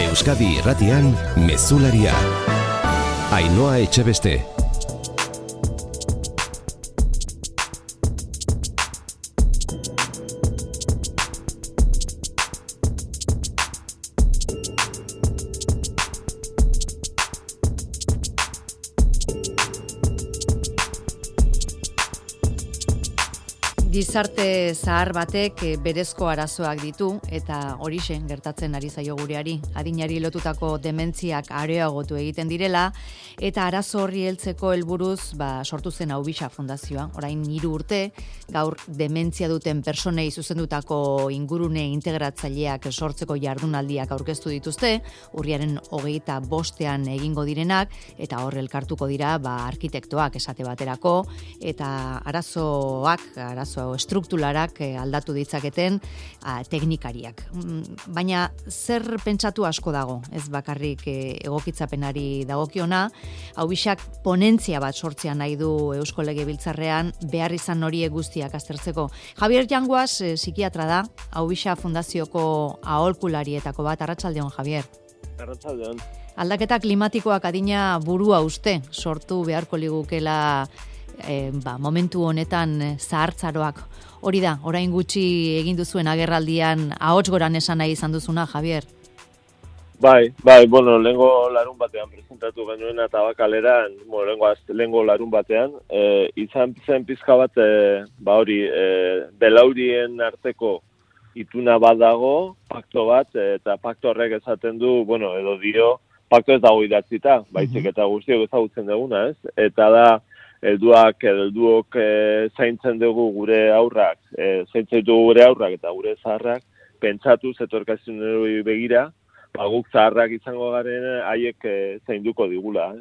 Euskadi Irratian Mezularia. Ainhoa Etxebeste. Gizarte zahar batek berezko arazoak ditu eta horixe gertatzen ari zaio gureari. Adinari lotutako dementziak areagotu egiten direla eta arazo horri heltzeko helburuz sortu zen Aubisa Fundazioa. Orain 3 urte gaur dementzia duten personei zuzendutako ingurune integratzaileak sortzeko jardunaldiak aurkeztu dituzte, urriaren 25ean egingo direnak eta hor elkartuko dira arkitektoak esate baterako eta arazo estrukturarak aldatu ditzaketen teknikariak. Baina zer pentsatu asko dago, ez bakarrik egokitzapenari dagokiona, Aubisak ponentzia bat sortzea nahi du Eusko Legebiltzarrean behar izan horiek guztiak aztertzeko. Javier Yanguas psikiatra da, Aubisa Fundazioko aholkularietako bat. Arratsaldeon, Javier. Arratsaldeon. Aldaketa klimatikoak adina burua uste sortu beharko ligukela momentu honetan zahartzaroak. Hori da, orain gutxi egin duzuen agerraldian ahots goran esan nahi izan duzuna, Javier? Bai, lehengo larun batean presentatu genuen Tabakaleran, lehengo larun batean, izan zen pizka bat, belaurien arteko ituna bat dago, pakto bat, eta pakto horrek esaten du, edo dio, pakto ez dago idatzita, baizik eta guztiok ezagutzen duguna, ez? Eta da, helduok zaintzen dugu gure aurrak, eta gure zaharrak, pentsatu zetorkizunari begira, guk zaharrak izango garen haiek zainduko digula.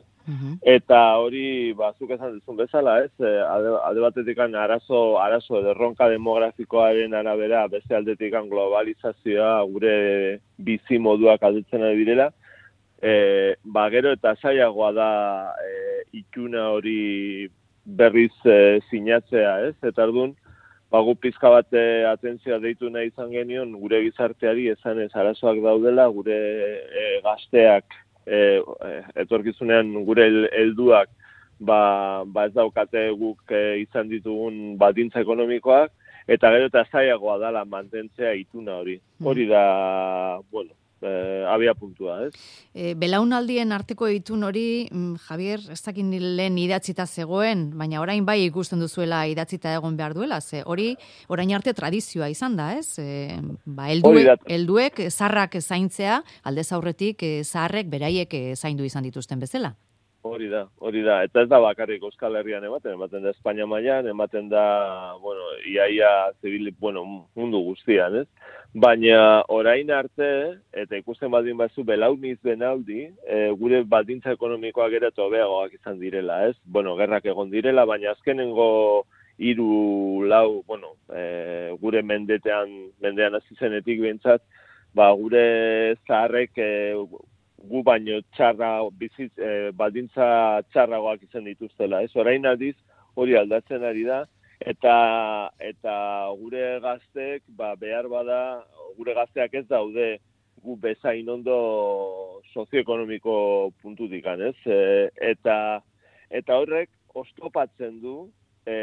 Eta hori, zuk esan duzun bezala, ez? Alde batetik arazo edo erronka demografikoaren arabera, beste aldetik globalizazioa, gure bizi moduak aldatzen ari direla, gero eta zailagoa da ituna hori berriz sinatzea, ez? Eta orduan, gu pizka bat atentzioa deitu nahi izan genion gure gizarteari esanez arazoak daudela, gure gazteak etorkizunean gure helduak ez daukate guk izan ditugun baldintza ekonomikoak, eta gero eta zailagoa dela mantentzea ituna hori. Hori da, abia puntua, ez? Belaunaldien arteko itun hori, Javier, ez dakin lehen idatzita zegoen, baina orain bai ikusten duzuela idatzita egon behar duela, ze hori orain arte tradizioa izan da, ez? Helduek zaharrak zaintzea, aldez aurretik zaharrek beraiek zaindu izan dituzten bezala. Hori da, eta ez da bakarrik Euskal Herrian ematen da Espainia mailan, ematen da, iaia zibil, mundu guztian, ez? Baina orain arte, eta ikusten baldin bazu belauniz benaldi, gure baldintza ekonomikoak ere hobeagoak izan direla, ez? Gerrak egon direla, baina azkenengo 3-4, gure mendean hasi zenetik behintzat, gure zaharrek gu baino baldintza txarragoak izan dituztela, ez? Orain aldiz hori aldatzen ari da, eta gure gazteek, behar bada, gure gazteak ez daude gu bezain ondo sozioekonomiko puntutik, ez? Eta horrek oztopatzen du,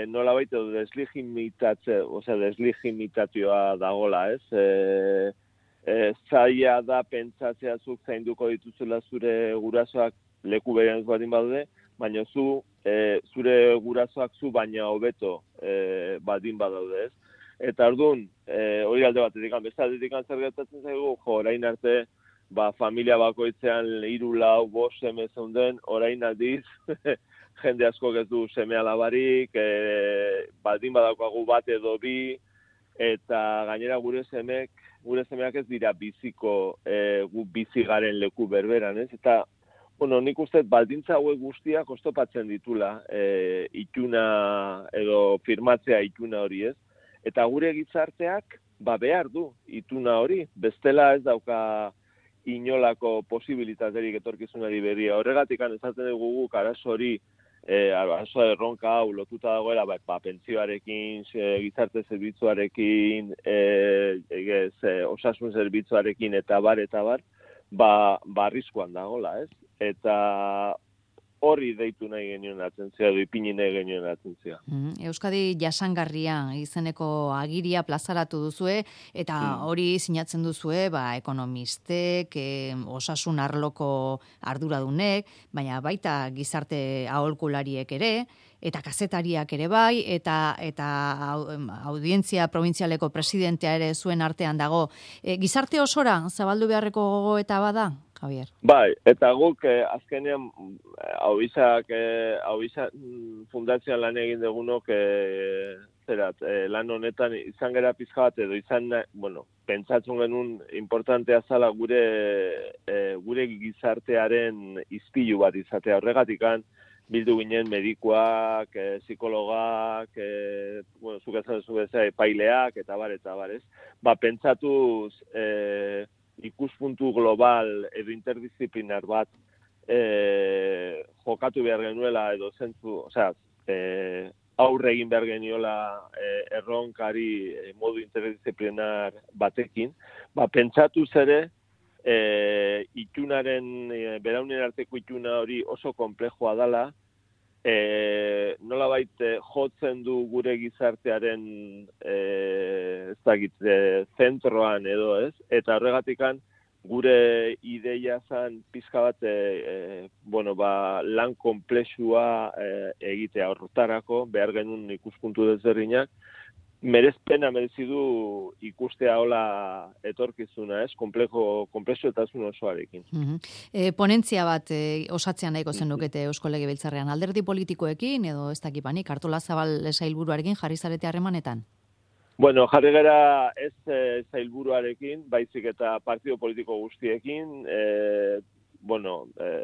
nolabait edo deslegitimazioa dagola, ez? Zaila da pentsatzea zuk zainduko dituzela zure gurasoak leku berean ez baldin badaude, baina zure gurasoak zu baina hobeto baldin badaude, ez? Eta orduan, hori alde batetik, beste aldetik zer gertatzen zaigu, orain arte, familia bakoitzean 3-4-5 seme zeunden, orain aldiz, jende askok ez du seme alabarik, baldin badaukagu bat edo bi, eta gainera gure semeak ez dira biziko gu bizi garen leku berberan, ez? Eta, nik uste baldintza hauek guztiak oztopatzen ditula ituna edo firmatzea ituna hori, ez? Eta gure gizarteak behar du ituna hori, bestela ez dauka inolako posibilitaterik etorkizunari berria. Horregatik esaten dugu guk arazo hori, arazo erronka hau lotuta dagoela pentsioarekin, gizarte zerbitzuarekin, osasun zerbitzuarekin eta bar, arriskuan dagola, ez? Eta hori deitu nahi genuen atentzia, ipini nahi genuen atentzia. Euskadi jasangarria izeneko agiria plazaratu duzue, eta hori sinatzen duzue, ekonomistek, osasun arloko arduradunek, baina baita gizarte aholkulariek ere, eta kazetariak ere bai, eta audientzia provintzialeko presidentea ere zuen artean dago. Gizarte osora zabaldu beharreko gogoeta bada, Javier? Bai, eta guk azkenean Hauizak fundazioan lan egin dugunok lan honetan izan gera pizka bat edo pentsatzen genuen importantea zala gure gizartearen izpilu bat izatea. Horregatikan bildu ginen medikuak, psikologak, zuk esan duzu bezala epaileak eta bar, ez? Pentsatuz ikuspuntu global edo interdisziplinar bat jokatu behar genuela edo zentzu, aurre egin behar geniola erronkari modu interdisziplinar batekin, pentsatuz ere itunaren, beraunen arteko ituna hori oso konplexua dela, nolabait jotzen du gure gizartearen zentroan edo ez, eta horregatikan gure ideia zan pizka bat lan konplexua egitea horretarako, behar genuen ikuspuntu desberdinak, merezpena merezi du ikustea hola etorkizuna, ez? Konplexuetasun osoarekin. Ponentzia bat osatzea nahiko zenukete Eusko Legebiltzarrean, alderdi politikoekin edo ez dakipanik, Artolazabal sailburuarekin jarri zarete harremanetan? Bueno, jarri gara ez sailburuarekin, baizik eta partido politiko guztiekin,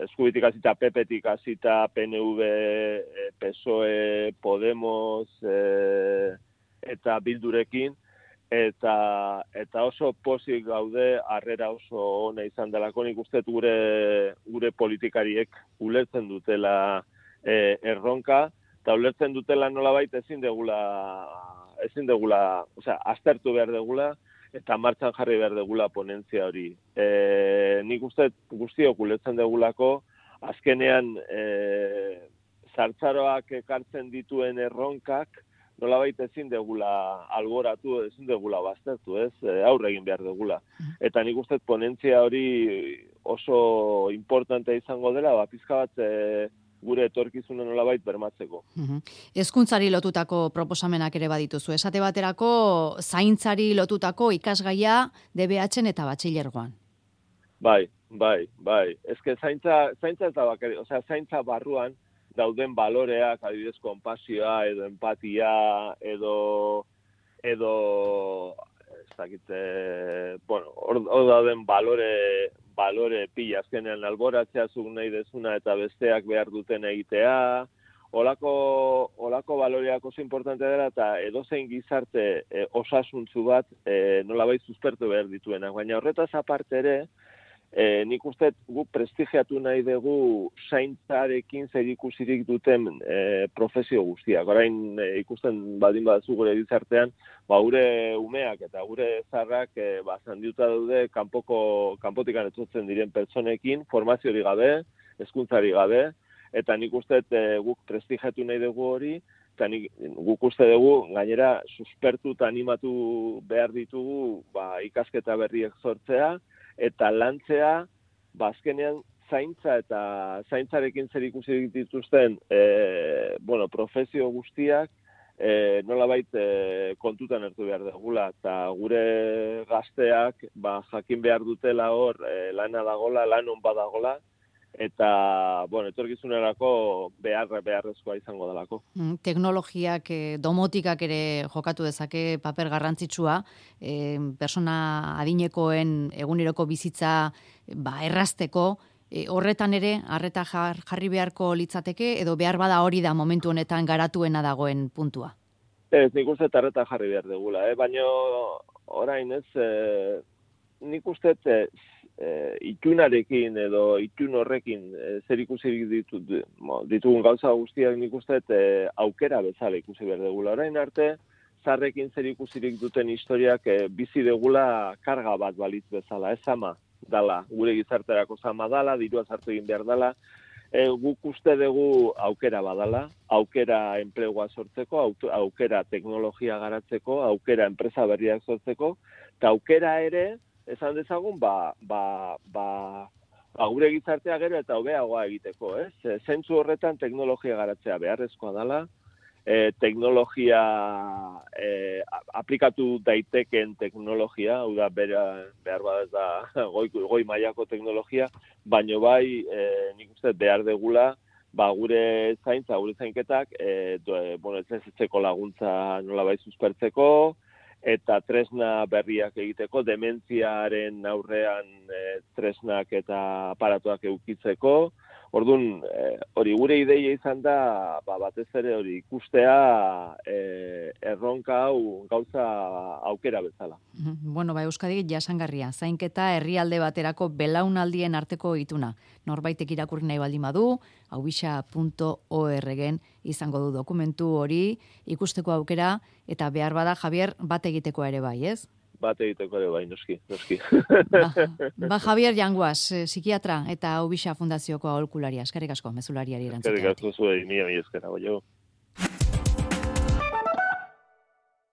Eskubitik hasita, PP-tik hasita, PNV, PSOE, Podemos, eta Bildurekin, eta oso pozik gaude, harrera oso ona izan delako, nik uste gure politikariek ulertzen dutela erronka, eta ulertzen dutela nolabait ezin degula, aztertu behar degula, eta martxan jarri behar degula ponentzia hori. Nik uste guztiok ulertzen degulako, azkenean zartzaroak ekartzen dituen erronkak, nolabait ezin degula alboratu, ezin degula baztertu, ez? Aurre egin behar degula. Eta nik uste ponentzia hori oso importantea izango dela, pizka bat gure etorkizuna nolabait bermatzeko. Hezkuntzari lotutako proposamenak ere badituzu. Esate baterako zaintzari lotutako ikasgaia DBH-en eta batxilergoan. Bai. Ezke zaintza ez da bakari, zaintza barruan dauden baloreak, adibidez, konpasioa, edo empatia, edo hor dauden balore pila, azkenean alboratzea zuk nahi dezuna eta besteak behar duten egitea, olako baloreak oso importantea dela, eta edozein gizarte osasuntzu bat nolabait suspertu behar dituenak, baina horretaz aparte ere, nik uste guk prestigiatu nahi dugu zaintzarekin zerikusirik duten profesio guztiak. Orain ikusten badin baduzu gure gizartean, gure umeak eta gure zarrak zandiuta daude kanpotikan etortzen diren pertsonekin, formaziorik gabe, hezkuntzari gabe, eta nik uste guk prestigiatu nahi dugu hori, eta guk uste dugu gainera suspertu eta animatu behar ditugu ikasketa berriek sortzea, eta lantzea, azkenean zaintza eta zaintzarekin zerikusi dituzten profesio guztiak nolabait kontutan hartu behar dugula, eta gure gazteak jakin behar dutela hor lana dagola, lan on badagola, eta etorkizunerako beharrezkoa izango delako. Teknologiak, domotikak ere jokatu dezake paper garrantzitsua, persona adinekoen eguneroko bizitza errazteko, horretan ere harreta jarri beharko litzateke, edo behar bada hori da momentu honetan garatuena dagoen puntua? Ez, nik uste harreta jarri behar degula, baina orain ez, nik uste itunarekin edo itun horrekin zer ikusi ditugun gauza guztiak nik uste aukera bezala ikusi behar degula. Orain arte, zarrekin zer ikusirik duten historiak bizi degula karga bat balitz bezala, ez ama. dala, gure gizarterako zama dala, dirua sartu egin behar dala, guk uste dugu aukera badala, aukera enplegua sortzeko, aukera teknologia garatzeko, aukera enpresa berriak sortzeko, eta aukera ere, esan dezagun, gure gizartea gero eta hobeagoa egiteko, ez? Zentzu horretan teknologia garatzea beharrezkoa dala, teknologia aplikatu daiteken teknologia, hau da behar bada ez da goi mailako teknologia, baino bai nik uste behar degula gure zaintza, gure zainketak etxeko laguntza nolabait suspertzeko, eta tresna berriak egiteko, dementziaren aurrean tresnak eta aparatuak eukitzeko. Orduan, hori gure ideia izan da, batez ere hori ikustea erronka hau gauza aukera bezala. Bueno, Euskadik jasangarria, zainketa herrialde baterako belaunaldien arteko ituna. Norbaitek irakurri nahi baldin badu, aubixa.org izango du dokumentu hori, ikusteko aukera, eta behar bada, Javier, bat egiteko ere bai, ez? Bat egiteko ere bai, noski. Javier Janguas, psikiatra eta Aubixa Fundazioko aholkularia. Eskerrik asko, mezulariari erantzuten. Eskerrik asko zuei, mila eskera, bai.